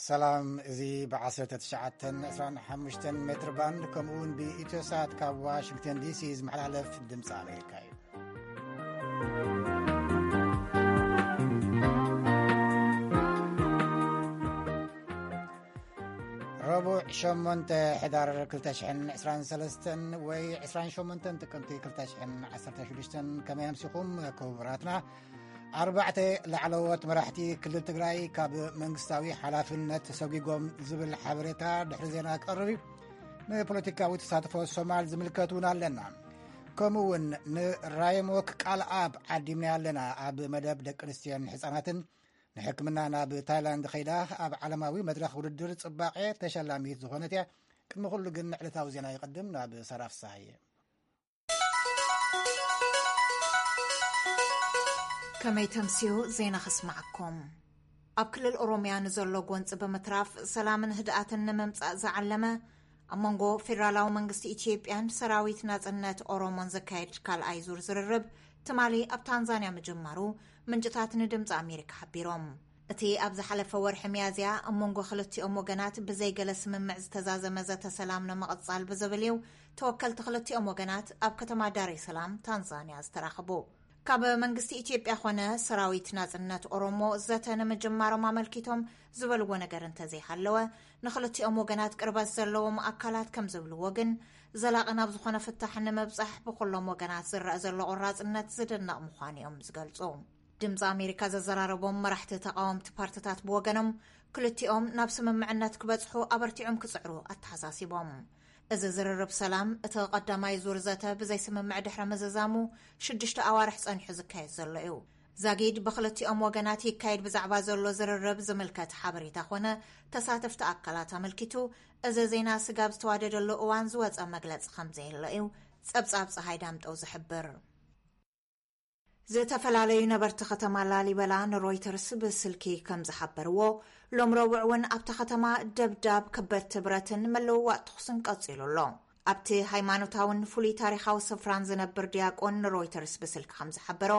ሰላም፣ እዚ ብ19 25 ሜትር ባንድ ከምኡ እውን ብኢትዮሳት ካብ ዋሽንግተን ዲሲ ዝመሓላለፍ ድምፂ ኣሜሪካ እዩ። ረቡዕ ሸሞንተ ሕዳር ክልተ ሽሕን ዕስራን ሰለስተን ወይ ዕስራን ሸሞንተን ጥቅምቲ ክልተ ሽሕን ዓሰርተ ሽዱሽተን። ከመይ ኣምሲኹም ክቡራትና? ኣርባዕተ ላዕለዎት መራሕቲ ክልል ትግራይ ካብ መንግስታዊ ሓላፍነት ተሰጒጎም ዝብል ሓበሬታ ድሕሪ ዜና ክቐርብ እዩ። ንፖለቲካዊ ተሳትፎ ሶማል ዝምልከት እውን ኣለና። ከምኡ እውን ንራይሞክ ቃል ኣብ ዓዲምና ኣለና። ኣብ መደብ ደቂ ኣንስትዮን ህፃናትን ንሕክምና ናብ ታይላንድ ኸይዳ ኣብ ዓለማዊ መድረኽ ውድድር ፅባቐ ተሸላሚት ዝኾነት እያ። ቅድሚ ኩሉ ግን ዕለታዊ ዜና ይቕድም። ናብ ሰራፍ ሳየ። ከመይ ተምስዩ ዜና ኸስማዓኩም። ኣብ ክልል ኦሮምያ ንዘሎ ጎንፂ ብምትራፍ ሰላምን ህድኣትን ንምምፃእ ዝዓለመ ኣብ መንጎ ፌደራላዊ መንግስቲ ኢትዮጵያን ሰራዊት ናጽነት ኦሮሞን ዘካየድ ካልኣይ ዙር ዝርርብ ትማሊ ኣብ ታንዛንያ ምጅማሩ ምንጭታት ንድምፂ ኣሜሪካ ሓቢሮም። እቲ ኣብ ዝሓለፈ ወርሒ ሚያዝያ ኣብ መንጎ ክልቲኦም ወገናት ብዘይገለ ስምምዕ ዝተዛዘመ ዘተ ሰላም ንምቕጻል ብዝብል እዩ ተወከልቲ ክልቲኦም ወገናት ኣብ ከተማ ዳሬ ሰላም ታንዛንያ ዝተራኸቡ። ካብ መንግስቲ ኢትዮጵያ ኾነ ሰራዊት ናጽነት ኦሮሞ ዘተ ንምጅማሮም ኣመልኪቶም ዝበልዎ ነገር እንተዘይሃለወ፣ ንኽልቲኦም ወገናት ቅርበት ዘለዎም ኣካላት ከም ዝብልዎ ግን፣ ዘላቒ ናብ ዝኾነ ፍታሕ ንምብጻሕ ብኩሎም ወገናት ዝረኣ ዘሎ ቆራጽነት ዝድነቕ ምዃኑ እዮም ዝገልጹ። ድምፂ ኣሜሪካ ዘዘራረቦም መራሕቲ ተቃወምቲ ፓርትታት ብወገኖም፣ ክልቲኦም ናብ ስምምዕነት ክበጽሑ ኣበርቲዖም ክጽዕሩ ኣተሓሳሲቦም። እዚ ዝርርብ ሰላም እቲ ቀዳማይ ዙር ዘተ ብዘይ ስምምዕ ድሕሪ ምዝዛሙ ሽዱሽተ ኣዋርሕ ጸኒሑ ዝካየድ ዘሎ እዩ። ዛጊድ ብክልቲኦም ወገናት ይካየድ ብዛዕባ ዘሎ ዝርርብ ዝምልከት ሓበሬታ ኮነ ተሳተፍቲ ኣካላት ኣመልኪቱ፣ እዚ ዜና ስጋብ ዝተዋደደሉ እዋን ዝወጸ መግለጺ ከም ዘየሎ እዩ ጸብጻብ ጸሃይ ዳምጠው ዝሕብር። ዝተፈላለዩ ነበርቲ ከተማ ላሊበላ ንሮይተርስ ብስልኪ ከም ዝሓበርዎ፣ ሎም ረቡዕ እውን ኣብታ ከተማ ደብዳብ፣ ከበድቲ ብረትን ምልውዋጥ ተኹስን ቀጺሉ ኣሎ። ኣብቲ ሃይማኖታውን ፍሉይ ታሪኻዊ ስፍራን ዝነብር ዲያቆን ንሮይተርስ ብስልኪ ከም ዝሓበሮ፣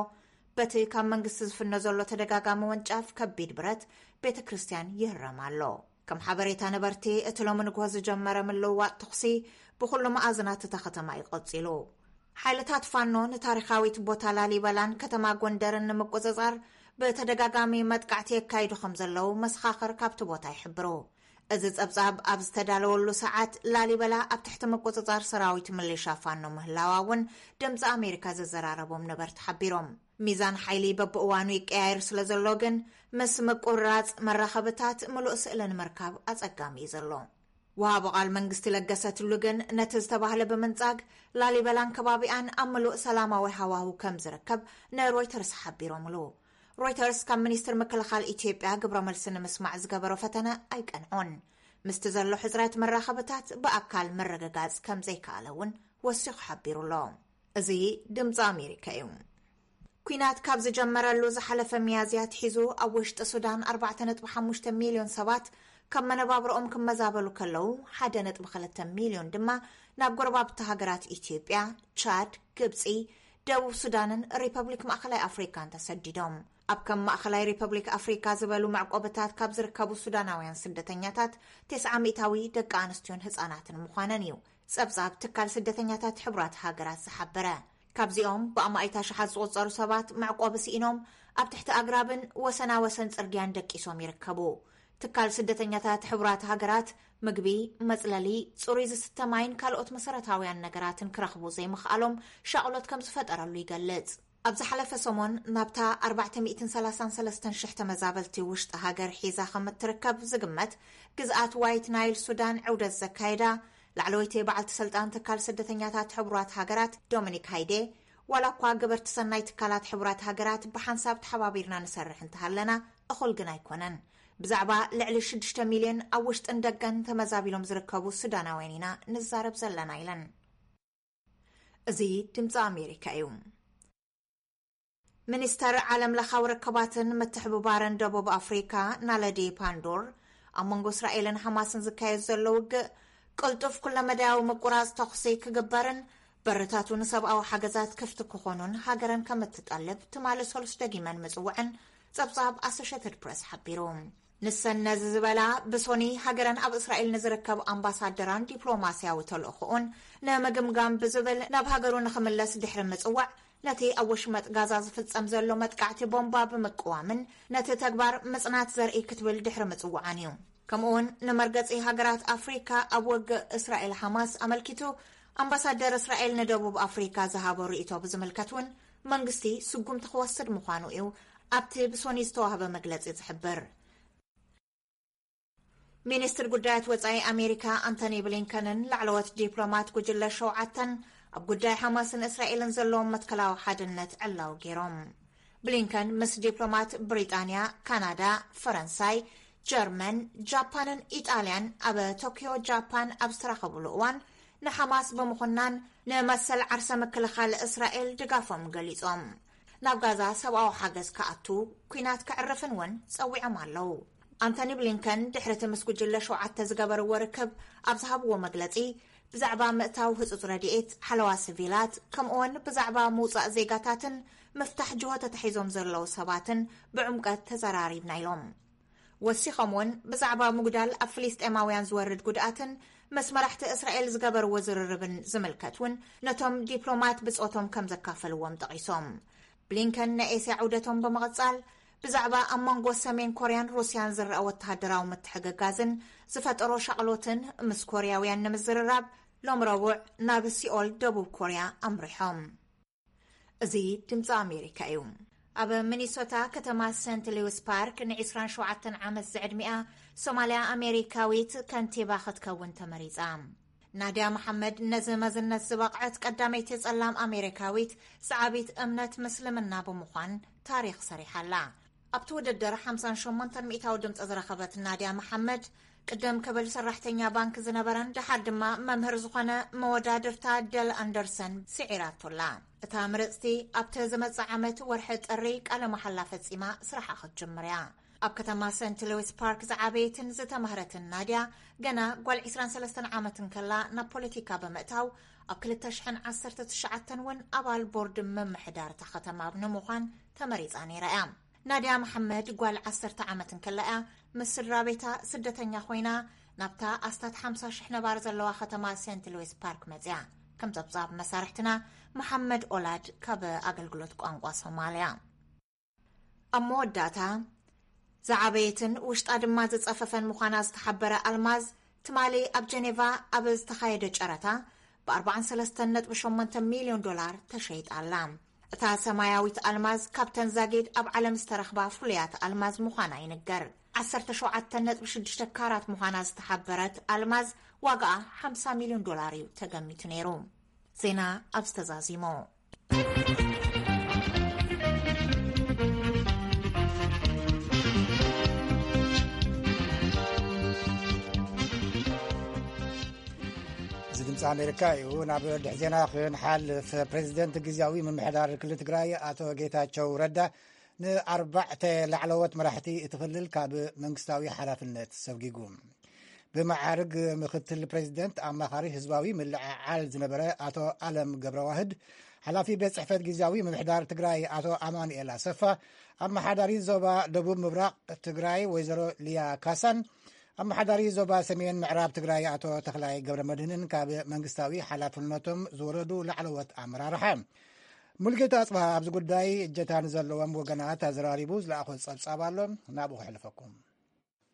በቲ ካብ መንግስቲ ዝፍኖ ዘሎ ተደጋጋሚ ወንጫፍ ከቢድ ብረት ቤተ ክርስቲያን ይህረም ኣሎ። ከም ሓበሬታ ነበርቲ፣ እቲ ሎሚ ንግሆ ዝጀመረ ምልውዋጥ ተኹሲ ብኹሉ መኣዝናት እታ ከተማ እዩ ቀጺሉ። ሓይልታት ፋኖ ንታሪኻዊት ቦታ ላሊበላን ከተማ ጎንደርን ንምቁጽጻር ብተደጋጋሚ መጥቃዕቲ የካይዱ ከም ዘለዉ መሰኻኽር ካብቲ ቦታ ይሕብሩ። እዚ ጸብጻብ ኣብ ዝተዳለወሉ ሰዓት፣ ላሊበላ ኣብ ትሕቲ ምቁጽጻር ሰራዊት ምሊሻ ፋኖ ምህላዋ እውን ድምፂ ኣሜሪካ ዘዘራረቦም ነበርቲ ሓቢሮም። ሚዛን ሓይሊ በብእዋኑ ይቀያየር ስለ ዘሎ ግን፣ ምስ ምቁርራጽ መራኸብታት ምሉእ ስእሊ ንምርካብ ኣጸጋሚ እዩ ዘሎ። ወሃቢ ቃል መንግስቲ ለገሰ ቱሉ ግን፣ ነቲ ዝተባህለ ብምንጻግ፣ ላሊበላን ከባቢኣን ኣብ ምሉእ ሰላማዊ ሃዋህው ከም ዝርከብ ንሮይተርስ ሓቢሮምሉ። ሮይተርስ ካብ ሚኒስትር ምክልኻል ኢትዮጵያ ግብረ መልሲ ንምስማዕ ዝገበሮ ፈተነ ኣይቀንዖን። ምስቲ ዘሎ ሕጽረት መራኸብታት ብኣካል ምርግጋጽ ከም ዘይከኣለ እውን ወሲኹ ሓቢሩ ኣሎ። እዚ ድምፂ ኣሜሪካ እዩ። ኲናት ካብ ዝጀመረሉ ዝሓለፈ ሚያዝያ ኣትሒዙ፣ ኣብ ውሽጢ ሱዳን ኣርባዕተ ነጥቢ ሓሙሽተ ሚልዮን ሰባት ካብ መነባብሮኦም ክመዛበሉ ከለዉ፣ ሓደ ነጥቢ ክልተ ሚልዮን ድማ ናብ ጎረባብቲ ሃገራት ኢትዮጵያ፣ ቻድ፣ ግብፂ፣ ደቡብ ሱዳንን ሪፐብሊክ ማእኸላይ ኣፍሪካን ተሰዲዶም። ኣብ ከም ማእኸላይ ሪፐብሊክ ኣፍሪካ ዝበሉ መዕቆብታት ካብ ዝርከቡ ሱዳናውያን ስደተኛታት፣ ተስዓ ሚእታዊ ደቂ ኣንስትዮን ህፃናትን ምዃነን እዩ ጸብጻብ ትካል ስደተኛታት ሕቡራት ሃገራት ዝሓበረ። ካብዚኦም ብኣማኢት ኣሽሓት ዝቑጸሩ ሰባት መዕቆቢ ስኢኖም ኣብ ትሕቲ ኣግራብን ወሰና ወሰን ጽርግያን ደቂሶም ይርከቡ። ትካል ስደተኛታት ሕቡራት ሃገራት ምግቢ፣ መጽለሊ፣ ጽሩይ ዝስተ ማይን ካልኦት መሰረታውያን ነገራትን ክረኽቡ ዘይምኽኣሎም ሻቕሎት ከም ዝፈጠረሉ ይገልጽ። ኣብ ዝሓለፈ ሰሞን ናብታ ኣርባዕተ ሚእትን ሰላሳን ሰለስተን ሽሕ ተመዛበልቲ ውሽጢ ሃገር ሒዛ ከም እትርከብ ዝግመት ግዝኣት ዋይት ናይል ሱዳን ዕውደት ዘካየዳ ላዕለወይቲ በዓልቲ ስልጣን ትካል ስደተኛታት ሕቡራት ሃገራት ዶሚኒክ ሃይዴ፣ ዋላ እኳ ገበርቲ ሰናይ ትካላት ሕቡራት ሃገራት ብሓንሳብ ተሓባቢርና ንሰርሕ እንተሃለና፣ እኹል ግን ኣይኮነን። ብዛዕባ ልዕሊ ሽዱሽተ ሚልዮን ኣብ ውሽጥን ደገን ተመዛቢሎም ዝርከቡ ሱዳናውያን ኢና ንዛረብ ዘለና ኢለን። እዚ ድምፂ ኣሜሪካ እዩ። ሚኒስተር ዓለም ለኻዊ ርክባትን ምትሕብባርን ደቡብ ኣፍሪካ ናለዲ ፓንዶር፣ ኣብ መንጎ እስራኤልን ሓማስን ዝካየድ ዘሎ ውግእ ቅልጡፍ ኩለመዳያዊ ምቁራፅ ተኹሲ ክግበርን በርታቱ ንሰብኣዊ ሓገዛት ክፍቲ ክኾኑን ሃገረን ከም እትጠልብ ትማሊ ሰሉስ ደጊመን ምፅውዐን ፀብፃብ ኣሶሽትድ ፕረስ ሓቢሩ። ንሰን ነዚ ዝበላ፣ ብሶኒ ሃገረን ኣብ እስራኤል ንዝርከብ ኣምባሳደራን ዲፕሎማስያዊ ተልእኾኡን ንምግምጋም ብዝብል ናብ ሃገሩ ንኽምለስ ድሕሪ ምጽዋዕ፣ ነቲ ኣብ ወሽመጥ ጋዛ ዝፍጸም ዘሎ መጥቃዕቲ ቦምባ ብምቅዋምን ነቲ ተግባር ምጽናት ዘርኢ ክትብል ድሕሪ ምጽዋዓን እዩ። ከምኡውን ንመርገጺ ሃገራት ኣፍሪካ ኣብ ውግእ እስራኤል ሓማስ ኣመልኪቱ፣ ኣምባሳደር እስራኤል ንደቡብ ኣፍሪካ ዝሃቦ ርእይቶ ብዝምልከት እውን መንግስቲ ስጉምቲ ክወስድ ምዃኑ እዩ ኣብቲ ብሶኒ ዝተዋህበ መግለጺ ዝሕብር። ሚኒስትር ጉዳያት ወጻኢ ኣሜሪካ ኣንቶኒ ብሊንከንን ላዕለዎት ዲፕሎማት ጉጅለ ሸውዓተን ኣብ ጉዳይ ሓማስን እስራኤልን ዘለዎም መትከላዊ ሓድነት ዕላዊ ገይሮም። ብሊንከን ምስ ዲፕሎማት ብሪጣንያ፣ ካናዳ፣ ፈረንሳይ፣ ጀርመን፣ ጃፓንን ኢጣልያን ኣብ ቶኪዮ ጃፓን ኣብ ዝተራኸብሉ እዋን፣ ንሓማስ ብምኹናን ንመሰል ዓርሰ ምክልኻል እስራኤል ድጋፎም ገሊጾም። ናብ ጋዛ ሰብኣዊ ሓገዝ ክኣቱ፣ ኲናት ክዕርፍን እውን ጸዊዖም ኣለዉ። ኣንቶኒ ብሊንከን ድሕሪ እቲ ምስ ጉጅለ ሸውዓተ ዝገበርዎ ርክብ ኣብ ዝሃብዎ መግለጺ፣ ብዛዕባ ምእታው ህጹጽ ረድኤት፣ ሓለዋ ስቪላት፣ ከምኡውን ብዛዕባ ምውጻእ ዜጋታትን ምፍታሕ ጅሆ ተታሒዞም ዘለዉ ሰባትን ብዕምቀት ተዘራሪብና ኢሎም። ወሲኾም እውን ብዛዕባ ምጉዳል ኣብ ፍልስጤማውያን ዝወርድ ጉድኣትን ምስ መራሕቲ እስራኤል ዝገበርዎ ዝርርብን ዝምልከት እውን ነቶም ዲፕሎማት ብጾቶም ከም ዘካፈልዎም ጠቒሶም። ብሊንከን ናይ ኤስያ ዑደቶም ብምቕጻል፣ ብዛዕባ ኣብ መንጎ ሰሜን ኮርያን ሩስያን ዝረኣ ወተሃደራዊ ምትሕግጋዝን ዝፈጠሮ ሻቕሎትን ምስ ኮርያውያን ንምዝርራብ ሎም ረቡዕ ናብ ሲኦል ደቡብ ኮርያ ኣምሪሖም። እዚ ድምፂ ኣሜሪካ እዩ። ኣብ ሚኒሶታ ከተማ ሰንት ሉዊስ ፓርክ ን27 ዓመት ዝዕድሚኣ ሶማልያ ኣሜሪካዊት ከንቲባ ክትከውን ተመሪፃ። ናድያ መሓመድ ነዚ መዝነት ዝበቕዐት ቀዳመይቲ ጸላም ኣሜሪካዊት ሰዓቢት እምነት ምስልምና ብምዃን ታሪኽ ሰሪሓ ኣላ። ኣብቲ ውድድር ሓምሳን ሸሞንተን ሚእታዊ ድምፂ ዝረኸበት ናድያ መሓመድ፣ ቅድም ክብል ሰራሕተኛ ባንክ ዝነበረን ደሓር ድማ መምህር ዝኾነ መወዳድርታ ደል ኣንደርሰን ስዒራቶ ኣላ። እታ ምርጽቲ ኣብቲ ዝመጽእ ዓመት ወርሒ ጥሪ ቃለ መሓላ ፈጺማ ስራሓ ክትጅምር እያ። ኣብ ከተማ ሰንት ሉዊስ ፓርክ ዝዓበየትን ዝተማህረትን ናድያ፣ ገና ጓል ዕስራን ሰለስተን ዓመት እንከላ ናብ ፖለቲካ ብምእታው፣ ኣብ ክልተ ሽሕን ዓሰርተ ትሽዓተን እውን ኣባል ቦርድ ምምሕዳር እታ ከተማ ንምዃን ተመሪጻ ነይራ እያ። ናድያ መሓመድ ጓል ዓሰርተ ዓመት እንከላ እያ ምስ ስድራ ቤታ ስደተኛ ኮይና ናብታ ኣስታት ሓምሳ ሽሕ ነባሪ ዘለዋ ከተማ ሴንት ሉዊስ ፓርክ መጽያ። ከም ጸብጻብ መሳርሕትና መሓመድ ኦላድ ካብ ኣገልግሎት ቋንቋ ሶማልያ። ኣብ መወዳእታ፣ ዝዓበየትን ውሽጣ ድማ ዝጸፈፈን ምዃና ዝተሓበረ ኣልማዝ፣ ትማሊ ኣብ ጀኔቫ ኣብ ዝተኻየደ ጨረታ ብ43.8 ሚልዮን ዶላር ተሸይጣ ኣላ። እታ ሰማያዊት ኣልማዝ ካብተን ዛጊድ ኣብ ዓለም ዝተረኽባ ፍሉያት ኣልማዝ ምዃና ይንገር። ዓሰርተ ሸውዓተ ነጥቢ ሽዱሽተ ካራት ምዃና ዝተሓበረት ኣልማዝ ዋጋኣ ሓምሳ ሚልዮን ዶላር እዩ ተገሚቱ ነይሩ። ዜና ኣብዚ ተዛዚሙ። እዚ ድምፂ ኣሜሪካ እዩ። ናብ ድሕ ዜና ክንሓልፍ፣ ፕሬዚደንት ግዝያዊ ምምሕዳር ክልል ትግራይ ኣቶ ጌታቸው ረዳ ንኣርባዕተ ላዕለዎት መራሕቲ እቲ ክልል ካብ መንግስታዊ ሓላፍነት ሰጉጉ። ብመዓርግ ምክትል ፕሬዚደንት ኣማኻሪ ህዝባዊ ምልዕዓል ዝነበረ ኣቶ ኣለም ገብረዋህድ፣ ሓላፊ ቤት ጽሕፈት ግዝያዊ ምምሕዳር ትግራይ ኣቶ ኣማኑኤል ኣሰፋ፣ ኣመሓዳሪ ዞባ ደቡብ ምብራቕ ትግራይ ወይዘሮ ሊያ ካሳን፣ ኣመሓዳሪ ዞባ ሰሜን ምዕራብ ትግራይ ኣቶ ተኽላይ ገብረ መድህንን ካብ መንግስታዊ ሓላፍነቶም ዝወረዱ ላዕለዎት ኣመራርሓ። ሙልጌታ ኣጽብሃ ኣብዚ ጉዳይ እጀታ ንዘለዎም ወገናት ኣዘራሪቡ ዝለኣኾ ጸብጻብ ኣሎ፣ ናብኡ ክሕልፈኩም።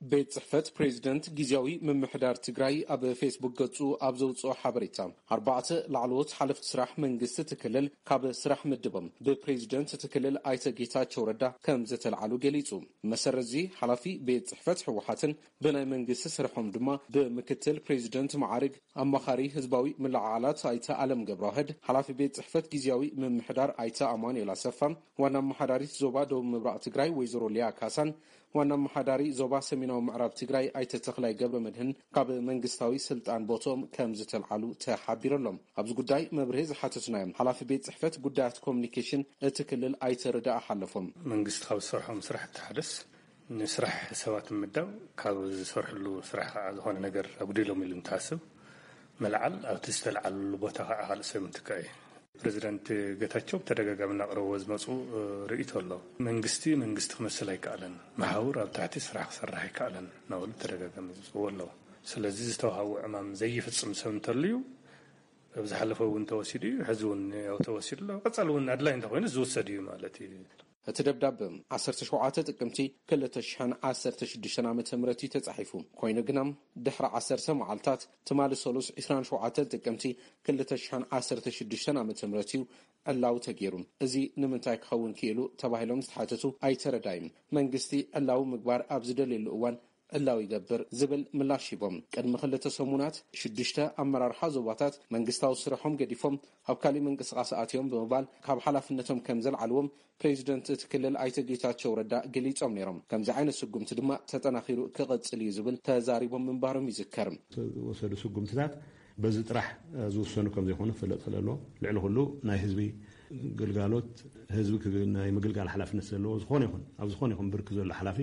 ቤት ጽሕፈት ፕሬዚደንት ግዝያዊ ምምሕዳር ትግራይ ኣብ ፌስቡክ ገጹ ኣብ ዘውጽኦ ሓበሬታ፣ ኣርባዕተ ላዕለዎት ሓለፍቲ ስራሕ መንግስቲ እቲ ክልል ካብ ስራሕ ምድቦም ብፕሬዚደንት እቲ ክልል ኣይተ ጌታቸው ረዳ ከም ዝተልዓሉ ገሊጹ። መሰረት እዚ፣ ሓላፊ ቤት ጽሕፈት ህወሓትን ብናይ መንግስቲ ስርሖም ድማ ብምክትል ፕሬዚደንት መዓርግ ኣማኻሪ ህዝባዊ ምልዕዓላት ኣይተ ኣለም ገብረዋህድ፣ ሓላፊ ቤት ጽሕፈት ግዝያዊ ምምሕዳር ኣይተ ኣማኑኤል ኣሰፋ፣ ዋና ኣመሓዳሪት ዞባ ደቡብ ምብራቕ ትግራይ ወይዘሮ ሊያ ካሳን ዋና ኣመሓዳሪ ዞባ ሰሜናዊ ምዕራብ ትግራይ ኣይተ ተኽላይ ገብረ መድህን ካብ መንግስታዊ ስልጣን ቦትኦም ከም ዝተልዓሉ ተሓቢሩ ኣሎ። ኣብዚ ጉዳይ መብርሂ ዝሓተትናዮም ሓላፊ ቤት ጽሕፈት ጉዳያት ኮሚኒኬሽን እቲ ክልል ኣይተ ርዳእ ሓለፎም፣ መንግስቲ ካብ ዝሰርሖም ስራሕቲ ሓደስ ንስራሕ ሰባት ምምዳብ፣ ካብ ዝሰርሕሉ ስራሕ ከዓ ዝኾነ ነገር ኣጉዲሎም ኢሉ እንትሓስብ ምልዓል፣ ኣብቲ ዝተልዓልሉ ቦታ ከዓ ካልእ ሰብ ምትካእ እዩ። ፕሬዚደንት ጌታቸው ብተደጋጋሚ እናቕረብዎ ዝመፁ ርእይቶ ኣሎ። መንግስቲ መንግስቲ ክመስል ኣይከኣለን፣ መሓውር ኣብ ታሕቲ ስራሕ ክሰርሕ ኣይከኣለን እናበሉ ብተደጋጋሚ ዝፅውዎ ኣለዉ። ስለዚ ዝተዋሃቡ ዕማም ዘይፍፅም ሰብ እንተልዩ ኣብ ዝሓለፈ እውን ተወሲዱ እዩ፣ ሕዚ እውን ያው ተወሲዱ ኣሎ። ቀፃሊ እውን ኣድላይ እንተኮይኑ ዝውሰድ እዩ ማለት እዩ። እቲ ደብዳበ ዓሰርተ ሸውዓተ ጥቅምቲ ክልተ ሽሕን ዓሰርተ ሽዱሽተን ዓመተ ምህረት እዩ ተጻሒፉ። ኮይኑ ግና ድሕሪ ዓሰርተ መዓልታት ትማሊ ሰሉስ ዕስራን ሸውዓተን ጥቅምቲ ክልተ ሽሕን ዓሰርተ ሽዱሽተን ዓመተ ምህረት እዩ ዕላዊ ተገይሩ። እዚ ንምንታይ ክኸውን ክኢሉ ተባሂሎም ዝተሓተቱ ኣይተረዳይም። መንግስቲ ዕላዊ ምግባር ኣብ ዝደልየሉ እዋን ዕላዊ ይገብር ዝብል ምላሽ ሂቦም። ቅድሚ ክልተ ሰሙናት ሽዱሽተ ኣመራርሓ ዞባታት መንግስታዊ ስርሖም ገዲፎም ኣብ ካሊእ ምንቅስቃስ ኣትዮም ብምባል ካብ ሓላፍነቶም ከም ዘልዓልዎም ፕሬዚደንት እቲ ክልል ኣይተ ጌታቸው ረዳ ገሊጾም ነይሮም። ከምዚ ዓይነት ስጉምቲ ድማ ተጠናኺሩ ክቕጽል እዩ ዝብል ተዛሪቦም ምንባሮም ይዝከር። ዝወሰዱ ስጉምትታት በዚ ጥራሕ ዝውሰኑ ከም ዘይኮኑ ክፍለጥ ክእል ኣለዎ። ልዕሊ ኩሉ ናይ ህዝቢ ግልጋሎት፣ ህዝቢ ክግ-፣ ናይ ምግልጋል ሓላፍነት ዘለዎ ዝኾነ ይኹን፣ ኣብ ዝኾነ ይኹን ብርኪ ዘሎ ሓላፊ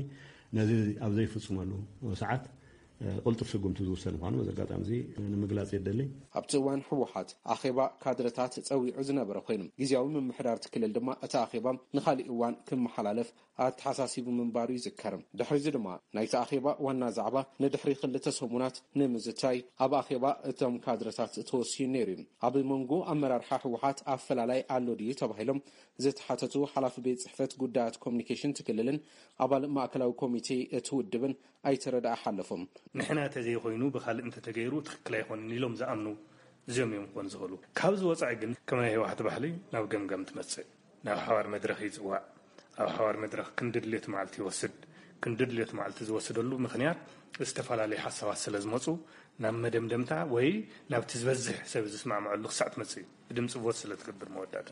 ነዚ ኣብ ዘይፍጽመሉ ሰዓት፣ እ፣ ቅልጡፍ ስጉምቲ ዝውሰድ ምዃኑ በዚ ኣጋጣሚ እዚ ንምግላጽ የደሊ። ኣብቲ እዋን ህወሓት ኣኼባ ካድረታት ጸዊዑ ዝነበረ ኮይኑ፣ ግዝያዊ ምምሕዳር እቲ ክልል ድማ እቲ ኣኼባ ንኻሊእ እዋን ክመሓላለፍ ኣተሓሳሲቡ ምንባሩ ይዝከር። ድሕሪዚ ድማ ናይቲ ኣኼባ ዋና ዛዕባ ንድሕሪ ክልተ ሰሙናት ንምዝታይ ኣብ ኣኼባ እቶም ካድረታት ተወሲኑ ነይሩ እዩ። ኣብ መንጎ ኣመራርሓ ህወሓት ኣፈላላይ ኣሎ ድዩ ተባሂሎም ዝተሓተቱ ሓላፊ ቤት ጽሕፈት ጉዳያት ኮሚኒኬሽን እቲ ክልልን ኣባል ማእከላዊ ኮሚቴ እቲ ውድብን ኣይተረዳ ሓለፎም። ንሕና ተዘይኮይኑ ብኻልእ እንተተገይሩ ትኽክል ኣይኮንን ኢሎም ዝኣምኑ እዚኦም እዮም ክኾኑ ዝኽእሉ። ካብዚ ወጻኢ ግን ከም ናይ ህወሓት ባህሊ ናብ ገምገም ትመጽእ፣ ናብ ሓባር መድረኽ ይጽዋዕ። ኣብ ሓባር መድረኽ ክንዲ ድሌት መዓልቲ ይወስድ። ክንዲ ድሌት መዓልቲ ዝወስደሉ ምኽንያት ዝተፈላለዩ ሓሳባት ስለ ዝመጹ ናብ መደምደምታ ወይ ናብቲ ዝበዝሕ ሰብ ዝስማዕምዐሉ ክሳዕ ትመጽእ እዩ። ብድምፂ ቮት ስለ ትገብር መወዳእታ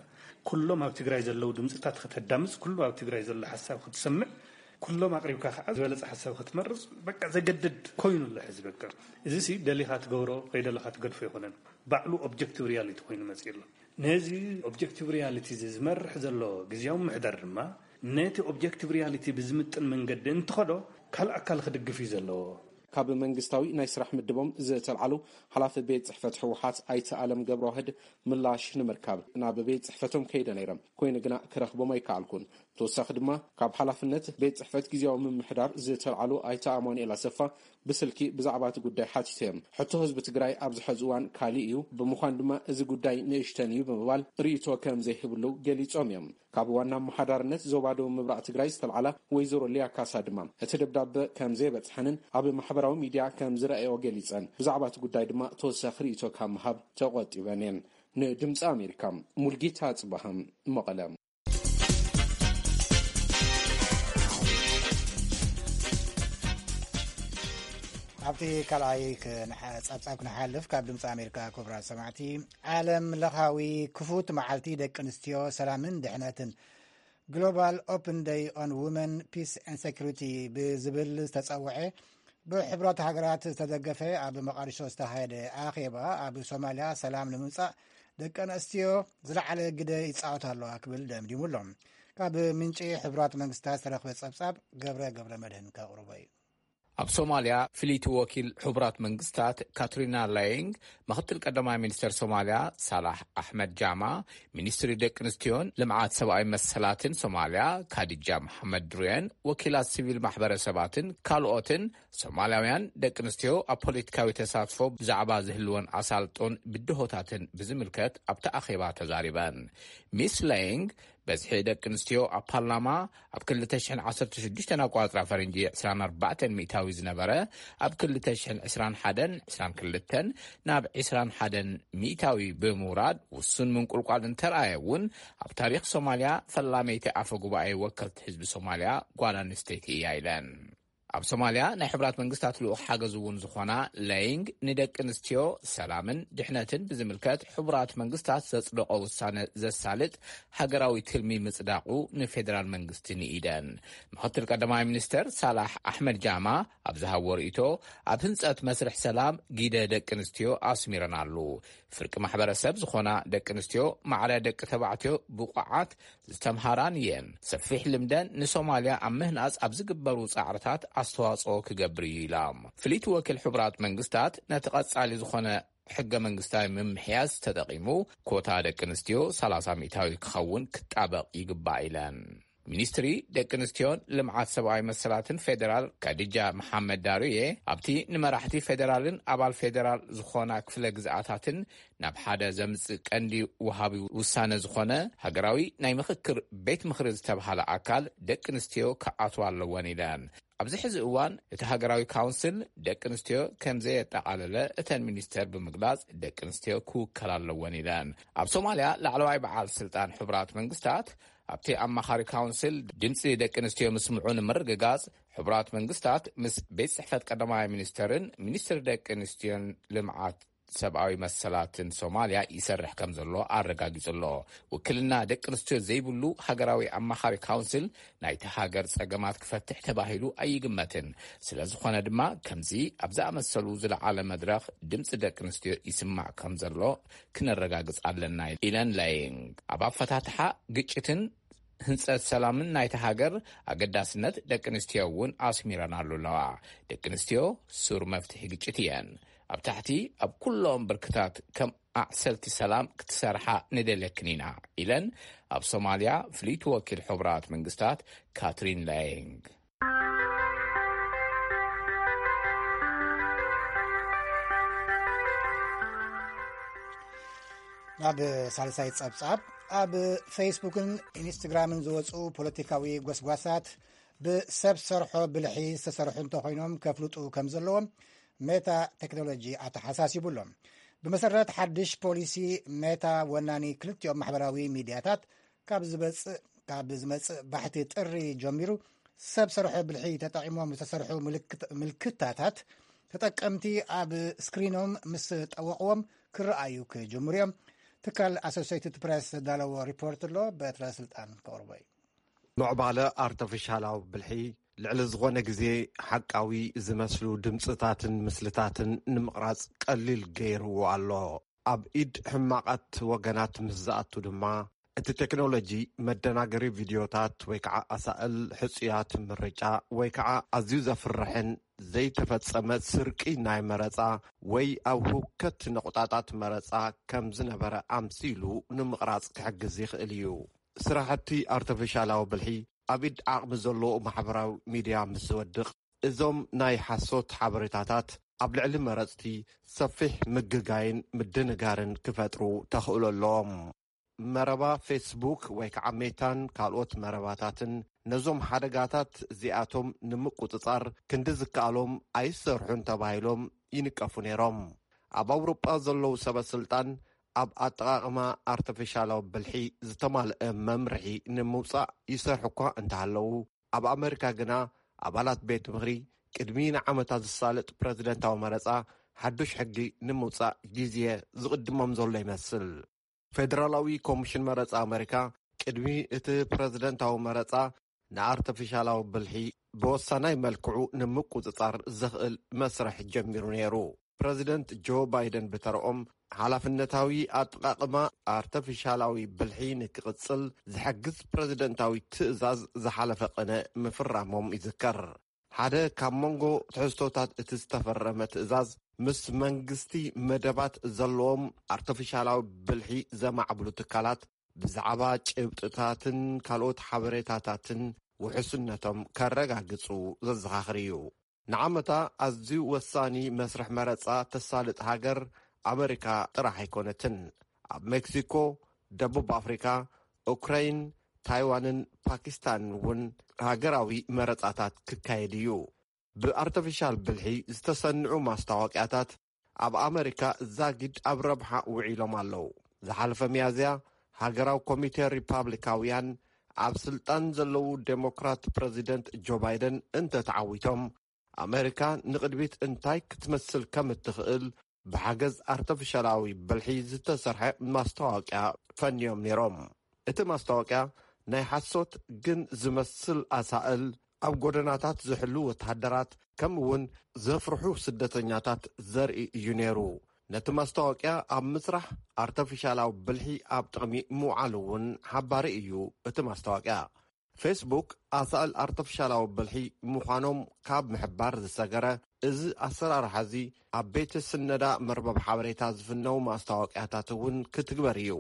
ኩሎም ኣብ ትግራይ ዘለዉ ድምፅታት ከተዳምፅ፣ ኩሉ ኣብ ትግራይ ዘሎ ሓሳብ ክትሰምዕ፣ ኩሎም ኣቕሪብካ ከዓ ዝበለፀ ሓሳብ ክትመርፅ በቃ ዘገድድ ኮይኑ ኣሎ ሕዚ። በቃ እዚ ሲ ደሊኻ ትገብሮ ከይደለኻ ትገድፎ ኣይኮነን፣ ባዕሉ ኦብጀክቲቭ ሪያሊቲ ኮይኑ መፅኡ ኣሎ። ነዚ ኦብጀክቲቭ ሪያሊቲ እዚ ዝመርሕ ዘሎ ግዝያዊ ምሕደር ድማ ነቲ ኦብጀክቲቭ ሪያሊቲ ብዝምጥን መንገዲ እንትኸዶ ካልእ ኣካል ክድግፍ እዩ ዘለዎ። ካብ መንግስታዊ ናይ ስራሕ ምድቦም ዝተልዓሉ ሓላፊ ቤት ጽሕፈት ህወሓት ኣይተ ኣለም ገብረዋህድ ምላሽ ንምርካብ ናብ ቤት ጽሕፈቶም ከይደ ነይረ። ኮይኑ ግና ክረኽቦም ኣይከኣልኩን። ተወሳኺ ድማ ካብ ሓላፍነት ቤት ጽሕፈት ግዝያዊ ምምሕዳር ዝተልዓሉ ኣይተ ኣማኑኤል ኣሰፋ ብስልኪ ብዛዕባ እቲ ጉዳይ ሓቲተ እዮም። ሕቶ ህዝቢ ትግራይ ኣብዚ ሕዚ እዋን ካሊእ እዩ፣ ብምዃን ድማ እዚ ጉዳይ ንእሽተን እዩ ብምባል ርእይቶ ከም ዘይህብሉ ገሊጾም እዮም። ካብ ዋና ኣመሓዳርነት ዞባ ደቡብ ምብራቕ ትግራይ ዝተልዓላ ወይዘሮ ሊያ ካሳ ድማ እቲ ደብዳበ ከም ዘይበጽሐንን ኣብ ማሕበራዊ ሚድያ ከም ዝረኣዮ ገሊጸን፣ ብዛዕባ እቲ ጉዳይ ድማ ተወሳኺ ርእይቶ ካብ ምሃብ ተቖጢበን እየን። ንድምፂ ኣሜሪካ፣ ሙልጌታ ጽባሃም፣ መቐለ። ኣብቲ ካልኣይ ክንሓ-፣ ጸብጻብ ክንሓልፍ፣ ካብ ድምፂ ኣሜሪካ ክቡራት ሰማዕቲ፣ ዓለም ለኻዊ ክፉት መዓልቲ ደቂ ኣንስትዮ ሰላምን ድሕነትን፣ ግሎባል ኦፕን ደይ ኦን ውመን ፒስ ኤንድ ሴኩሪቲ ብዝብል ዝተጸውዐ ብሕቡራት ሃገራት ዝተደገፈ ኣብ መቓዲሾ ዝተኻየደ ኣኼባ ኣብ ሶማልያ ሰላም ንምምጻእ ደቂ ኣንስትዮ ዝለዓለ ግደ ይጻወታ ኣለዋ ክብል ደምዲሙ ኣሎ። ካብ ምንጪ ሕቡራት መንግስታት ዝተረኽበ ጸብጻብ ገብረ ገብረ መድህን ከቕርቦ እዩ። ኣብ ሶማልያ ፍልይቲ ወኪል ሕቡራት መንግስታት ካትሪና ላይንግ፣ ምኽትል ቀዳማይ ሚኒስተር ሶማልያ ሳላሕ ኣሕመድ ጃማ፣ ሚኒስትሪ ደቂ ኣንስትዮን ልምዓት ሰብኣዊ መሰላትን ሶማልያ ካዲጃ መሓመድ ድሩየን፣ ወኪላት ሲቪል ማሕበረሰባትን ካልኦትን ሶማልያውያን ደቂ ኣንስትዮ ኣብ ፖለቲካዊ ተሳትፎ ብዛዕባ ዝህልወን ኣሳልጦን ብድሆታትን ብዝምልከት ኣብቲ ኣኼባ ተዛሪበን። ሚስ ላይንግ፣ በዝሒ ደቂ ኣንስትዮ ኣብ ፓርላማ ኣብ ክልተ ሽሕን ዓሰርተ ሽዱሽተን ኣቋጽራ ፈረንጂ ዕስራን ኣርባዕተን ሚእታዊ ዝነበረ፣ ኣብ ክልተ ሽሕን ዕስራን ሓደን ዕስራን ክልተን ናብ ዕስራን ሓደን ሚእታዊ ብምውራድ ውሱን ምንቁልቋል እንተረኣየ እውን፣ ኣብ ታሪኽ ሶማልያ ፈላመይቲ ኣፈ ጉባኤ ወከልቲ ህዝቢ ሶማልያ ጓል ኣንስተይቲ እያ ኢለን። ኣብ ሶማልያ ናይ ሕቡራት መንግስታት ልኡኽ ሓገዝ እውን ዝኾና ለይንግ፣ ንደቂ ኣንስትዮ ሰላምን ድሕነትን ብዝምልከት ሕቡራት መንግስታት ዘጽደቖ ውሳነ ዘሳልጥ ሃገራዊ ትልሚ ምጽዳቑ ንፌደራል መንግስቲ ንኢደን። ምኽትል ቀዳማይ ሚኒስተር ሳላሕ ኣሕመድ ጃማ ኣብ ዝሃቦ ርእይቶ፣ ኣብ ህንጸት መስርሕ ሰላም ግደ ደቂ ኣንስትዮ ኣስሚረናሉ። ፍርቂ ማሕበረሰብ ዝኾና ደቂ ኣንስትዮ ማዕረ ደቂ ተባዕትዮ ብቑዓት ዝተምሃራን እየን። ሰፊሕ ልምደን ንሶማልያ ኣብ ምህናጽ ኣብ ዝግበሩ ጻዕርታት ኣስተዋጽኦ ክገብር እዩ ኢላ። ፍልይቲ ወኪል ሕቡራት መንግስታት ነቲ ቀጻሊ ዝኾነ ሕገ መንግስታዊ ምምሕያዝ ተጠቒሙ፣ ኮታ ደቂ ኣንስትዮ ሰላሳ ሚእታዊ ክኸውን ክጣበቕ ይግባእ ኢለን። ሚኒስትሪ ደቂ ኣንስትዮን ልምዓት ሰብኣዊ መሰላትን ፌዴራል ካዲጃ መሓመድ ዳሩየ፣ ኣብቲ ንመራሕቲ ፌዴራልን ኣባል ፌዴራል ዝኾና ክፍለ ግዝኣታትን ናብ ሓደ ዘምጽእ ቀንዲ ወሃቢ ውሳነ ዝኾነ ሃገራዊ ናይ ምኽክር ቤት ምኽሪ ዝተብሃለ ኣካል ደቂ ኣንስትዮ ክኣትዋ ኣለወን ኢለን። ኣብዚ ሕዚ እዋን እቲ ሃገራዊ ካውንስል ደቂ ኣንስትዮ ከም ዘየጠቓለለ እተን ሚኒስተር ብምግላጽ፣ ደቂ ኣንስትዮ ክውከላ ኣለወን ኢለን። ኣብ ሶማልያ ላዕለዋይ በዓል ስልጣን ሕቡራት መንግስታት ኣብቲ ኣማኻሪ ካውንስል ድምፂ ደቂ ኣንስትዮ ምስምዑ ንምርግጋጽ፣ ሕቡራት መንግስታት ምስ ቤት ጽሕፈት ቀዳማይ ሚኒስተርን ሚኒስትሪ ደቂ ኣንስትዮን ልምዓት ሰብኣዊ መሰላትን ሶማልያ ይሰርሕ ከም ዘሎ ኣረጋጊጹ ኣሎ። ውክልና ደቂ ኣንስትዮ ዘይብሉ ሃገራዊ ኣማኻሪ ካውንስል ናይቲ ሃገር ጸገማት ክፈትሕ ተባሂሉ ኣይግመትን። ስለ ዝኾነ ድማ፣ ከምዚ ኣብ ዝኣመሰሉ ዝለዓለ መድረኽ ድምፂ ደቂ ኣንስትዮ ይስማዕ ከም ዘሎ ክነረጋግጽ ኣለና ኢለን ላይንግ። ኣብ ኣፈታትሓ ግጭትን ህንጸት ሰላምን ናይቲ ሃገር ኣገዳስነት ደቂ ኣንስትዮ እውን ኣስሚረናሉ ኣለዋ። ደቂ ኣንስትዮ ሱር መፍትሒ ግጭት እየን። ኣብ ታሕቲ ኣብ ኩሎም ብርክታት ከም ኣዕሰልቲ ሰላም ክትሰርሓ ንደልየክን ኢና ኢለን ኣብ ሶማልያ ፍልይቲ ወኪል ሕቡራት መንግስታት ካትሪን ላይንግ። ናብ ሳልሳይ ጸብጻብ። ኣብ ፌስቡክን ኢንስትግራምን ዝወጹ ፖለቲካዊ ጎስጓሳት ብሰብ ሰርሖ ብልሒ ዝተሰርሑ እንተኾይኖም ከፍልጡ ከም ዘለዎም ሜታ ቴክኖሎጂ ኣተሓሳሲቡ ኣሎ። ብመሰረት ሓድሽ ፖሊሲ ሜታ፣ ወናኒ ክልቲኦም ማሕበራዊ ሚድያታት ካብ ዝበጽእ ካብ ዝመጽእ ባሕቲ ጥሪ ጀሚሩ ሰብ ሰርሖ ብልሒ ተጠቒሞም ዝተሰርሑ ምልክት- ምልክታታት ተጠቀምቲ ኣብ ስክሪኖም ምስ ጠወቕዎም ክረኣዩ ክጅምሩ እዮም። ትካል ኣሶሲየትድ ፕሬስ ዘዳለዎ ሪፖርት ኣሎ። በትረ ስልጣን ከቕርቦ እዩ። ምዕባለ ኣርተፊሻላዊ ብልሒ ልዕሊ ዝኾነ ግዜ ሓቃዊ ዝመስሉ ድምፅታትን ምስልታትን ንምቕራጽ ቀሊል ገይርዎ ኣሎ። ኣብ ኢድ ሕማቓት ወገናት ምስ ዝኣቱ ድማ፣ እቲ ቴክኖሎጂ መደናገሪ ቪድዮታት ወይ ከዓ ኣሳእል ሕጹያት ምርጫ ወይ ከዓ ኣዝዩ ዘፍርሕን ዘይተፈጸመ ስርቂ ናይ መረጻ ወይ ኣብ ህውከት ነቑጣጣት መረጻ ከም ዝነበረ ኣምሲሉ ንምቕራጽ ክሕግዝ ይኽእል እዩ። ስራሕቲ ኣርተፊሻላዊ ብልሒ ኣብ ኢድ ዓቕሚ ዘለዎ ማሕበራዊ ሚድያ ምስ ዝወድቕ፣ እዞም ናይ ሓሶት ሓበሬታታት ኣብ ልዕሊ መረጽቲ ሰፊሕ ምግጋይን ምድንጋርን ክፈጥሩ ተኽእሎ ኣለዎም። መረባ ፌስቡክ ወይ ከዓ ሜታን ካልኦት መረባታትን ነዞም ሓደጋታት እዚኣቶም ንምቁጽጻር ክንዲ ዝከኣሎም ኣይሰርሑን ተባሂሎም ይንቀፉ ነይሮም። ኣብ ኣውሮጳ ዘለዉ ሰበ ስልጣን ኣብ ኣጠቓቕማ ኣርተፊሻላዊ ብልሒ ዝተማልአ መምርሒ ንምውጻእ ይሰርሑ እኳ እንተሃለዉ፣ ኣብ ኣመሪካ ግና ኣባላት ቤት ምኽሪ ቅድሚ ንዓመታት ዝሳለጥ ፕረዚደንታዊ መረጻ ሓዱሽ ሕጊ ንምውጻእ ግዜ ዝቕድሞም ዘሎ ይመስል። ፌደራላዊ ኮሚሽን መረጻ ኣመሪካ ቅድሚ እቲ ፕረዚደንታዊ መረጻ ንኣርተፊሻላዊ ብልሒ ብወሳናይ መልክዑ ንምቁጽጻር ዘኽእል መስርሕ ጀሚሩ ነይሩ። ፕረዚደንት ጆ ባይደን ብተረኦም ሓላፍነታዊ ኣጠቓቕማ ኣርተፊሻላዊ ብልሒ ንክቕጽል ዝሕግዝ ፕረዚደንታዊ ትእዛዝ ዝሓለፈ ቅነ ምፍራሞም ይዝከር። ሓደ ካብ መንጎ ትሕዝቶታት እቲ ዝተፈረመ ትእዛዝ፣ ምስ መንግስቲ መደባት ዘለዎም ኣርተፊሻላዊ ብልሒ ዘማዕብሉ ትካላት ብዛዕባ ጭብጥታትን ካልኦት ሓበሬታታትን ውሕስነቶም ከረጋግጹ ዘዘኻኽር እዩ። ንዓመታ ኣዝዩ ወሳኒ መስርሕ መረጻ ተሳልጥ ሃገር ኣመሪካ ጥራሕ ኣይኮነትን። ኣብ ሜክሲኮ፣ ደቡብ ኣፍሪካ፣ ኡክራይን፣ ታይዋንን ፓኪስታንን እውን ሃገራዊ መረጻታት ክካየድ እዩ። ብኣርተፊሻል ብልሒ ዝተሰንዑ ማስታወቅያታት ኣብ ኣመሪካ ዛጊድ ኣብ ረብሓ ውዒሎም ኣለዉ። ዝሓለፈ ሚያዝያ፣ ሃገራዊ ኮሚቴ ሪፓብሊካውያን ኣብ ስልጣን ዘለዉ ዴሞክራት ፕረዚደንት ጆ ባይደን እንተተዓዊቶም፣ ኣመሪካ ንቕድሚት እንታይ ክትመስል ከም እትኽእል ብሓገዝ ኣርተፊሻላዊ ብልሒ ዝተሰርሐ ማስታወቅያ ፈንዮም ነይሮም። እቲ ማስታወቅያ ናይ ሓሶት ግን ዝመስል ኣሳእል፣ ኣብ ጎደናታት ዝሕሉ ወተሃደራት፣ ከምኡ እውን ዘፍርሑ ስደተኛታት ዘርኢ እዩ ነይሩ። ነቲ ማስታወቅያ ኣብ ምስራሕ ኣርተፊሻላዊ ብልሒ ኣብ ጥቕሚ ምውዓሉ እውን ሓባሪ እዩ እቲ ማስታወቅያ። ፌስቡክ ኣሳእል ኣርተፊሻላዊ ብልሒ ምዃኖም ካብ ምሕባር ዝሰገረ፣ እዚ ኣሰራርሓ እዚ ኣብ ቤተ ስነዳ መርበብ ሓበሬታ ዝፍነው ማስታወቅያታት እውን ክትግበር እዩ።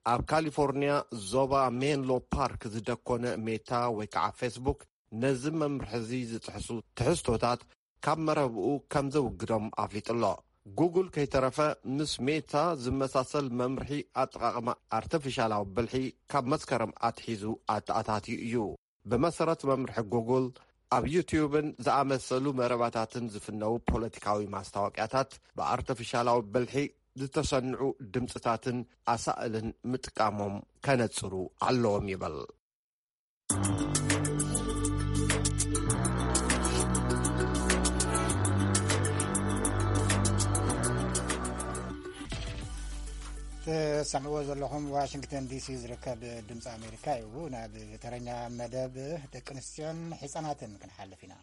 ኣብ ካሊፎርኒያ ዞባ ሜንሎ ፓርክ ዝደኮነ ሜታ ወይ ከዓ ፌስቡክ ነዚ መምርሒ እዚ ዝጥሕሱ ትሕዝቶታት ካብ መረብኡ ከም ዘውግዶም ኣፍሊጡ ኣሎ። ጉግል ከይተረፈ ምስ ሜታ ዝመሳሰል መምርሒ ኣጠቓቕማ ኣርቲፊሻላዊ ብልሒ ካብ መስከረም ኣትሒዙ ኣተኣታትዩ እዩ። ብመሰረት መምርሒ ጉግል ኣብ ዩቲዩብን ዝኣመሰሉ መረባታትን ዝፍነው ፖለቲካዊ ማስታወቅያታት ብኣርቲፊሻላዊ ብልሒ ዝተሰንዑ ድምፅታትን ኣሳእልን ምጥቃሞም ከነፅሩ ኣለዎም ይብል። ትሰምዕዎ ዘለኹም ዋሽንግተን ዲሲ ዝርከብ ድምፂ ኣሜሪካ እዩ። ናብ ተረኛ መደብ ደቂ ኣንስትዮን ህፃናትን ክንሓልፍ ኢና።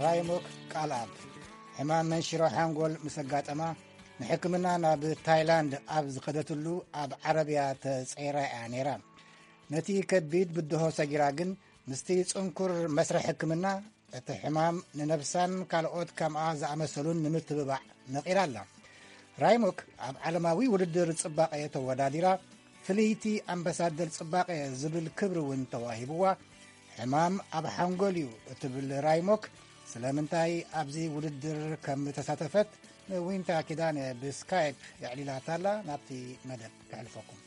ራይሞክ ቃልኣብ ሕማም መንሽሮ ሓንጎል ምስ ኣጋጠማ፣ ንሕክምና ናብ ታይላንድ ኣብ ዝኸደትሉ ኣብ ዓረብያ ተጸይራ እያ ነይራ። ነቲ ከቢድ ብድሆ ሰጊራ ግን፣ ምስቲ ጽንኩር መስርሕ ሕክምና፣ እቲ ሕማም ንነብሳን ካልኦት ከምኣ ዝኣመሰሉን ንምትብባዕ መቒራ ኣላ። ራይሞክ ኣብ ዓለማዊ ውድድር ጽባቐ ተወዳዲራ፣ ፍልይቲ ኣምባሳደር ጽባቐ ዝብል ክብሪ እውን ተዋሂብዋ። ሕማም ኣብ ሓንጎል እዩ እትብል ራይሞክ፣ ስለምንታይ ኣብዚ ውድድር ከም ተሳተፈት ንዊንታ ኪዳነ ብስካይፕ የዕሊላታ ኣላ። ናብቲ መደብ ከሕልፈኩም።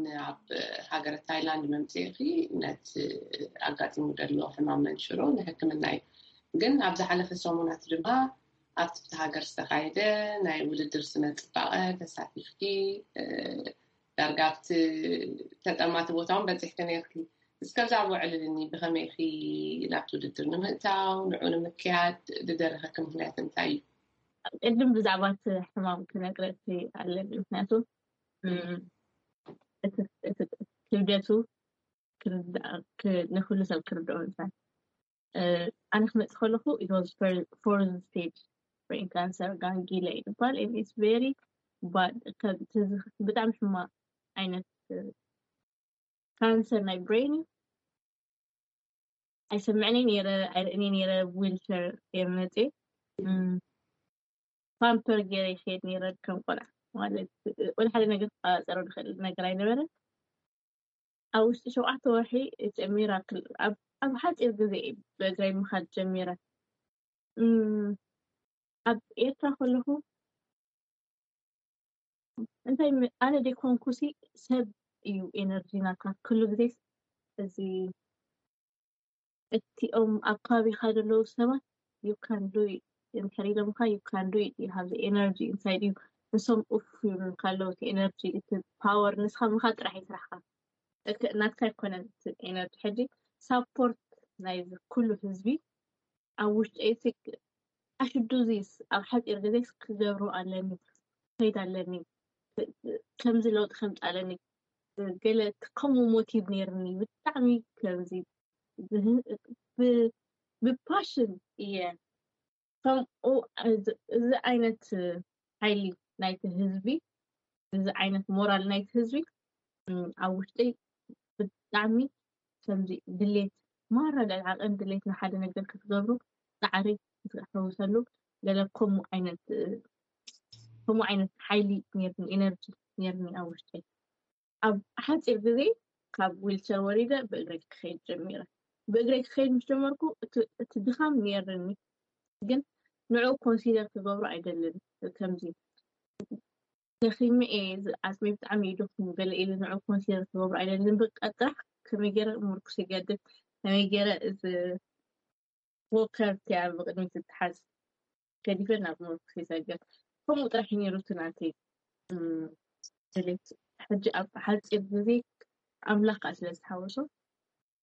ናብ ሃገረ ታይላንድ መምፅእኺ ነቲ ኣጋጢሙ ዘሎ ሕማም መንሽሮ ንሕክምና እዩ። ግን ኣብ ዝሓለፈ ሰሙናት ድማ ኣብቲ ብቲ ሃገር ዝተኻየደ ናይ ውድድር ስነ ፅባቐ ተሳቲፍኪ ዳርጋ ኣብቲ ተጠማቲ ቦታ እውን በፂሕኪ ነይርኪ። እስከ ኣብዛ ውዕልልኒ ብኸመይ ኢኺ ናብቲ ውድድር ንምእታው ንዑ ንምክያድ ዝደረኸኪ ምክንያት እንታይ እዩ? ቅድም ብዛዕባ እቲ ሕማም ክነግረኪ ኣለኒ። ምክንያቱ እቲ ክብደቱ ንኩሉ ሰብ ክርድኦ ምሳል ኣነ ክመፅእ ከለኹ it was fourth stage brain cancer ጋንጊለ ይባል። It's very bad። ብጣዕሚ ሕማቕ ዓይነት ካንሰር ናይ ብሬን እዩ። ኣይሰምዕን ነይረ፣ ኣይርእን ነይረ። ዊልቸር እየ መፅእ ፓምፐር ገይረ ይኸይድ ነይረ ከም ቆልዓ። ማለት ወደ ሓደ ነገር ክቆፃፀሮ ዝኽእል ነገር ኣይነበረን። ኣብ ውሽጢ ሸውዓተ ወርሒ ሚራክል ኣብ ሓፂር ግዜ ብእግረይ ምኻድ ጀሚረ። ኣብ ኤርትራ ከለኹ እንታይ ኣነ ደይኮንኩሲ ሰብ እዩ ኤነርጂ ናካ ኩሉ ግዜ እዚ እቲኦም ኣብ ከባቢኻ ዘለዉ ሰባት you can do it እንድሕር ኢሎምኻ you can do it you have the energy inside you ንሶም ኡፍ ይብሉልካ ኣለዉ እቲ ኤነርጂ እቲ ፓወር ንስኻ ምኻ ጥራሕ ይስራሕካ ናትካ ኣይኮነን እቲ ኤነርጂ ሕጂ ሳፖርት ናይዚ ኩሉ ህዝቢ ኣብ ውሽጠይ I should do this ኣብ ሓፂር ግዜ ክገብሮ ኣለኒ ክኸይድ ኣለኒ ከምዚ ለውጢ ከምፅ ኣለኒ ገለ ከምኡ ሞቲቭ ነይርኒ ብጣዕሚ ከምዚ ብፓሽን እየ ከምኡ እዚ ዓይነት ሓይሊ ናይቲ ህዝቢ እዚ ዓይነት ሞራል ናይቲ ህዝቢ ኣብ ውሽጠይ ብጣዕሚ ከምዚ ድሌት ማራ ልዕሊ ዓቐን ድሌት ንሓደ ነገር ክትገብሩ ፃዕሪ ክትሕውሰሉ ገለ ከምኡ ዓይነት ከምኡ ዓይነት ሓይሊ ነርኒ ኤነርጂ ነርኒ ኣብ ውሽጠይ ኣብ ሓፂር ግዜ ካብ ዊልቸር ወሪደ ብእግረይ ክኸይድ ጀሚረ ብእግረይ ክኸይድ ምስ ጀመርኩ እቲ ድኻም ነርኒ ግን ንዑ ኮንሲደር ክገብሩ ኣይደልን ከምዚ ደኺመ እየ ዓፅመይ ብጣዕሚ እዩ ደኺሙ ገለ ኢለ ንዑ ኮንሲደር ክገብሩ ኣይደልን በቃ ጥራሕ ከመይ ገይረ ምርኩስ ይገድፍ ከመይ ገይረ እዚ ወከር እቲኣ ብቅድሚት ትትሓዝ ገዲፈ ናብ ምርኩስ ይሰግር ከምኡ ጥራሕ እዩ ነይሩ እቲ ናተይ ድሌት ሕጂ ኣብ ሓፂር ግዜ ኣምላኽ ከዓ ስለ ዝተሓወሶ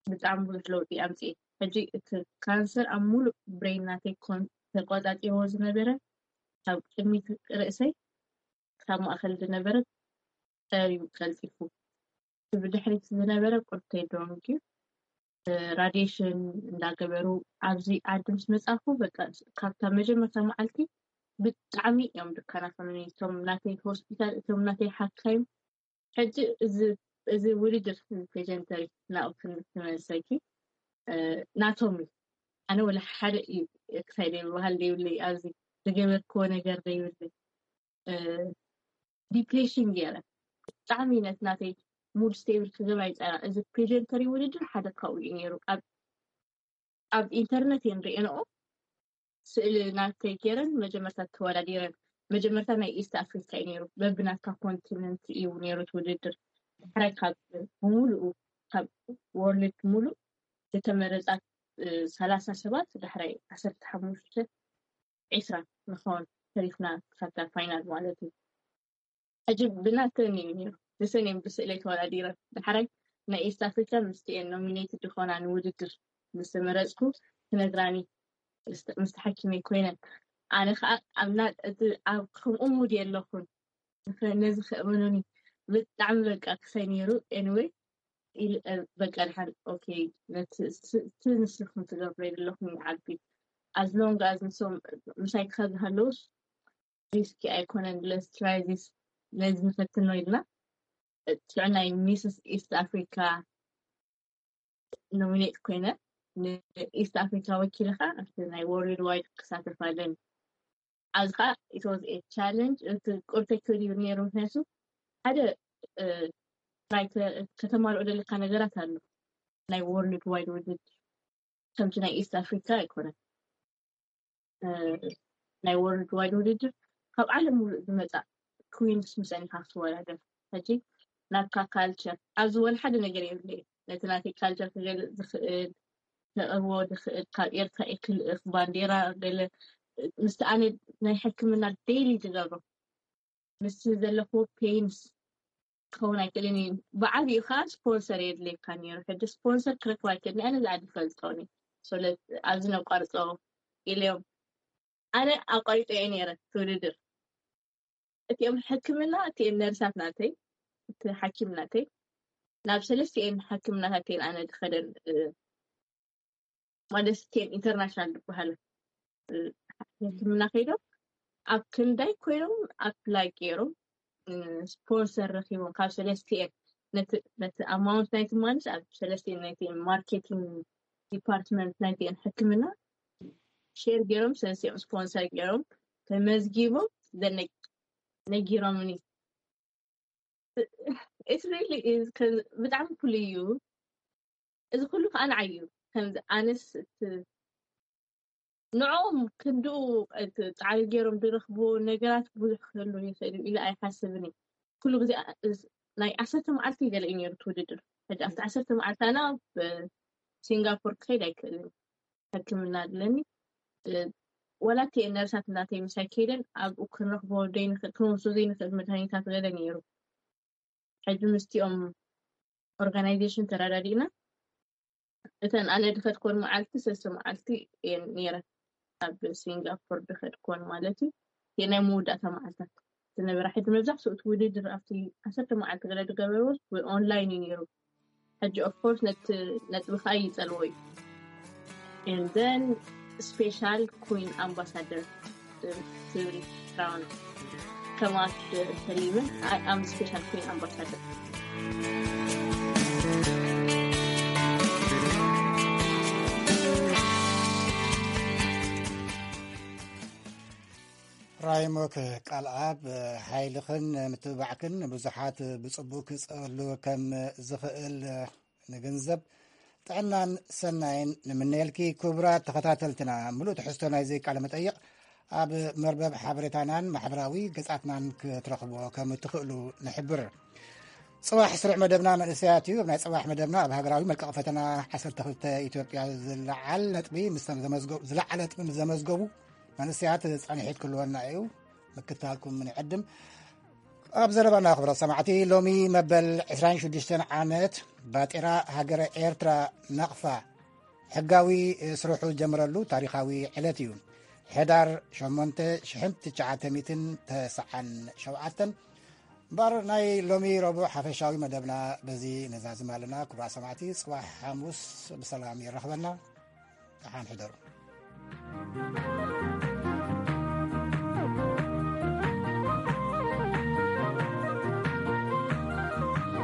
ብጣዕሚ ብዙሕ ለውጢ ኣምፅኤ ሕጂ እቲ ካንሰር ኣብ ሙሉእ ብሬን ናተይ ተቆፃፂርዎ ዝነበረ ካብ ቅድሚት ርእሰይ ካብ ማእከል ዝነበረ ጠርዩ ቀልጢፉ እቲ ብድሕሪት ዝነበረ ቁርተይ ደንጉዩ ራድየሽን እንዳገበሩ ኣብዚ ዓዲ ምስ መፃኹ በቃ ካብታ መጀመርታ መዓልቲ ብጣዕሚ እዮም ዝከናኸኑኒ። እቶም ናተይ ሆስፒታል፣ እቶም ናተይ ሓካይም። ሕጂ እዚ ውድድር ፔጀንተሪ ናብኡ ክንመልሰኪ፣ ናቶም እዩ። ኣነ ወላ ሓደ እዩ ክሳይ ዘይብሃል ዘይብለይ ኣብዚ ዝገበርክዎ ነገር ዘይብለይ ዲፕሬሽን ገይረ ብጣዕሚ ነት ናተይ ሙድ ስቴብል ክገብር ኣይፀና። እዚ ፕሬዘንተሪ ውድድር ሓደ ካብኡ እዩ ነይሩ። ኣብ ኢንተርነት እየን ርእየንኦ ስእሊ ናተይ ገይረን መጀመርታ ተወዳዲረን። መጀመርታ ናይ ኢስት ኣፍሪካ እዩ ነይሩ። በብናትካ ኮንቲነንት እዩ ነይሩ እቲ ውድድር። ድሕራይ ካብ ብምሉኡ ካብ ወርልድ ሙሉእ ዝተመረፃ ሰላሳ ሰባት ድሕራይ ዓሰርተ ሓሙሽተ ዒስራ ንኸውን ተሪፍና ክሳብ ፋይናል ማለት እዩ። ሕጂ ብናተን እዩ ነይሩ። ንሰን እየን ብስእለይ ተወዳዲረን። ድሕራይ ናይ ኢስት ኣፍሪካ ምስቲኤን ኖሚኔትድ ዝኾና ንውድድር ምስ ተመረፅኩ ክነግራኒ ምስ ሓኪመይ ኮይነን። ኣነ ከዓ ኣብ ከምኡ ሙድ የለኹን። ነዚ ከእመኑኒ ብጣዕሚ በቃ ክሳይ ነይሩ። ኤኒወይ በቃ ድሓን ኦኬ ነቲ ንስኹም ትገብሮ የለኹም ይዓቢ ኣዝሎንግ ኣዝ ንሶም ምሳይ ክኸዚ ሃለውስ ሪስኪ ኣይኮነን። ለስ ትራይ ዚስ ነዚ ንፈትኖ ኢልና ትዕ ናይ ሚስስ ኢስት ኣፍሪካ ኖሚኔት ኮይነ ንኢስት ኣፍሪካ ወኪልኻ ኣብቲ ናይ ወርልድ ዋይድ ክሳተፍ ኣለኒ። ኣብዚ ከዓ ኢት ዋዝ ኤ ቻለንጅ። እቲ ቁርተይ ክብል ይብል ነይሩ ምክንያቱ ሓደ ናይ ከተማልኦ ዘለካ ነገራት ኣሎ ናይ ወርልድ ዋይድ ውድድር ከምቲ ናይ ኢስት ኣፍሪካ ኣይኮነን። ናይ ወርልድ ዋይድ ውድድር ካብ ዓለም ሙሉእ ዝመፃ ክዊንስ ምስአን ኢካ ክትወዳደር። ሕጂ ናትካ ካልቸር ኣብዚ ወላ ሓደ ነገር የብለይ። ነቲ ናተይ ካልቸር ክገልፅ ዝኽእል ከቕርቦ ዝኽእል ካብ ኤርትራ ክልእኽ ባንዴራ ገለ ምስቲ ኣነ ናይ ሕክምና ዴይሊ ዝገብሮ ምስ ዘለክዎ ፔንስ ክኸውን ኣይክእልን እዩ። ብዓብኡ ከዓ ስፖንሰር የድልየካ ነይሩ። ሕጂ ስፖንሰር ክረክብ ኣይክእልን። ኣነ ዝዓዲ ፈልጦኒ ሶለት ኣብዚ ነቋርፆ ኢለዮም ኣነ ኣቋሪጠ እየ ነይረ ትውድድር። እቲኦም ሕክምና እቲኤን ነርሳት ናተይ እቲ ሓኪም ናተይ ናብ ሰለስቲኤን ሕክምናታት እየን ኣነ ዝኸደን ማለት እቲኤን ኢንተርናሽናል ዝበሃሉ ሕክምና ከይዶም ኣብ ክንዳይ ኮይኖም ኣፕላይ ገይሮም ስፖንሰር ረኪቦም ካብ ሰለስቲኤን ነቲ ኣማውንት ናይቲ ማንስ ኣብ ሰለስቲኤን ናይቲ ማርኬቲንግ ዲፓርትመንት ናይቲኤን ሕክምና ሼር ገይሮም ሰለስቲኦም ስፖንሰር ገይሮም ተመዝጊቦም ነጊሮምኒ። ብጣዕሚ ኩሉ እዩ እዚ ኩሉ ከዓ ንዓይ እዩ ከምዚ ኣነስ ንዕኦም ክንድኡ ፃዕሪ ገይሮም ዝረኽብዎ ነገራት ብዙሕ ክህሉ ይኽእል እዩ ኢለ ኣይሓስብን እዩ። ኩሉ ግዜ ናይ ዓሰርተ መዓልቲ ገለ እዩ ነይሩ እቲ ውድድር። ሕጂ ኣብቲ ዓሰርተ መዓልቲ ኣነ ኣብ ሲንጋፖር ክኸይድ ኣይክእልን ሕክምና ኣለኒ። ወላ እቲ ነርሳት እናተይ ምሳይ ከይደን ኣብኡ ክንረኽቦ ዘይንኽእል ክንወስዶ ዘይንኽእል መድሃኒታት ገለ ነይሩ። ሕጂ ምስቲኦም ኦርጋናይዜሽን ተረዳዲእና እተን ኣነ ድኸድኮን መዓልቲ ሰለስተ መዓልቲ እየን ነይረን ኣብ ሲንጋፖር ድኸድኮን ማለት እዩ። ናይ መወዳእታ መዓልታት ዝነበረ ሕጂ መብዛሕትኡ እቲ ውድድር ኣብቲ ዓሰርተ መዓልቲ ገለ ዝገበርዎ ኦንላይን እዩ ነይሩ። ሕጂ ኦፍኮርስ ነቲ ነጥቢ ከዓ ይፀልዎ እዩ። And then special queen ambassador ትብል ክራውን ከማት ሰሊምን ኣም ስፔሻል ኩን ኣምባሳደር። ራይሞክ ቃልኣብ ሓይልኽን ምትብባዕክን ብዙሓት ብፅቡቅ ክፀሉ ከም ዝኽእል ንግንዘብ። ጥዕናን ሰናይን ንምነየልኪ። ክቡራት ተኸታተልትና፣ ምሉእ ትሕዝቶ ናይዚ ቃለ መጠይቕ ኣብ መርበብ ሓበሬታናን ማሕበራዊ ገጻትናን ክትረኽብዎ ከም እትኽእሉ ንሕብር። ጽባሕ ስሩዕ መደብና መንእሰያት እዩ። ኣብ ናይ ጽባሕ መደብና ኣብ ሃገራዊ መልቀቕ ፈተና ዓሰርተ ክልተ ኢትዮጵያ ዝለዓል ነጥቢ ምስ ተመዝገቡ፣ ዝለዓለ ነጥቢ ምስ ዘመዝገቡ መንእሰያት ጻንሒት ክህልወና እዩ። ምክትታልኩም ንዕድም። ኣብ ዘረባና ክብረት ሰማዕቲ፣ ሎሚ መበል ዕስራን ሽዱሽተን ዓመት ባጤራ ሃገረ ኤርትራ ናቕፋ ሕጋዊ ስርሑ ዝጀመረሉ ታሪኻዊ ዕለት እዩ። ሕዳር ሸሞንተ ሽሕን ትሽዓተ ሚእትን ተስዓን ሸውዓተን። እምበኣር ናይ ሎሚ ረቡዕ ሓፈሻዊ መደብና በዚ ነዛዝም ኣለና። ክቡራት ሰማዕቲ፣ ጽባሕ ሓሙስ ብሰላም የራኽበና። ደሓን ሕደሩ።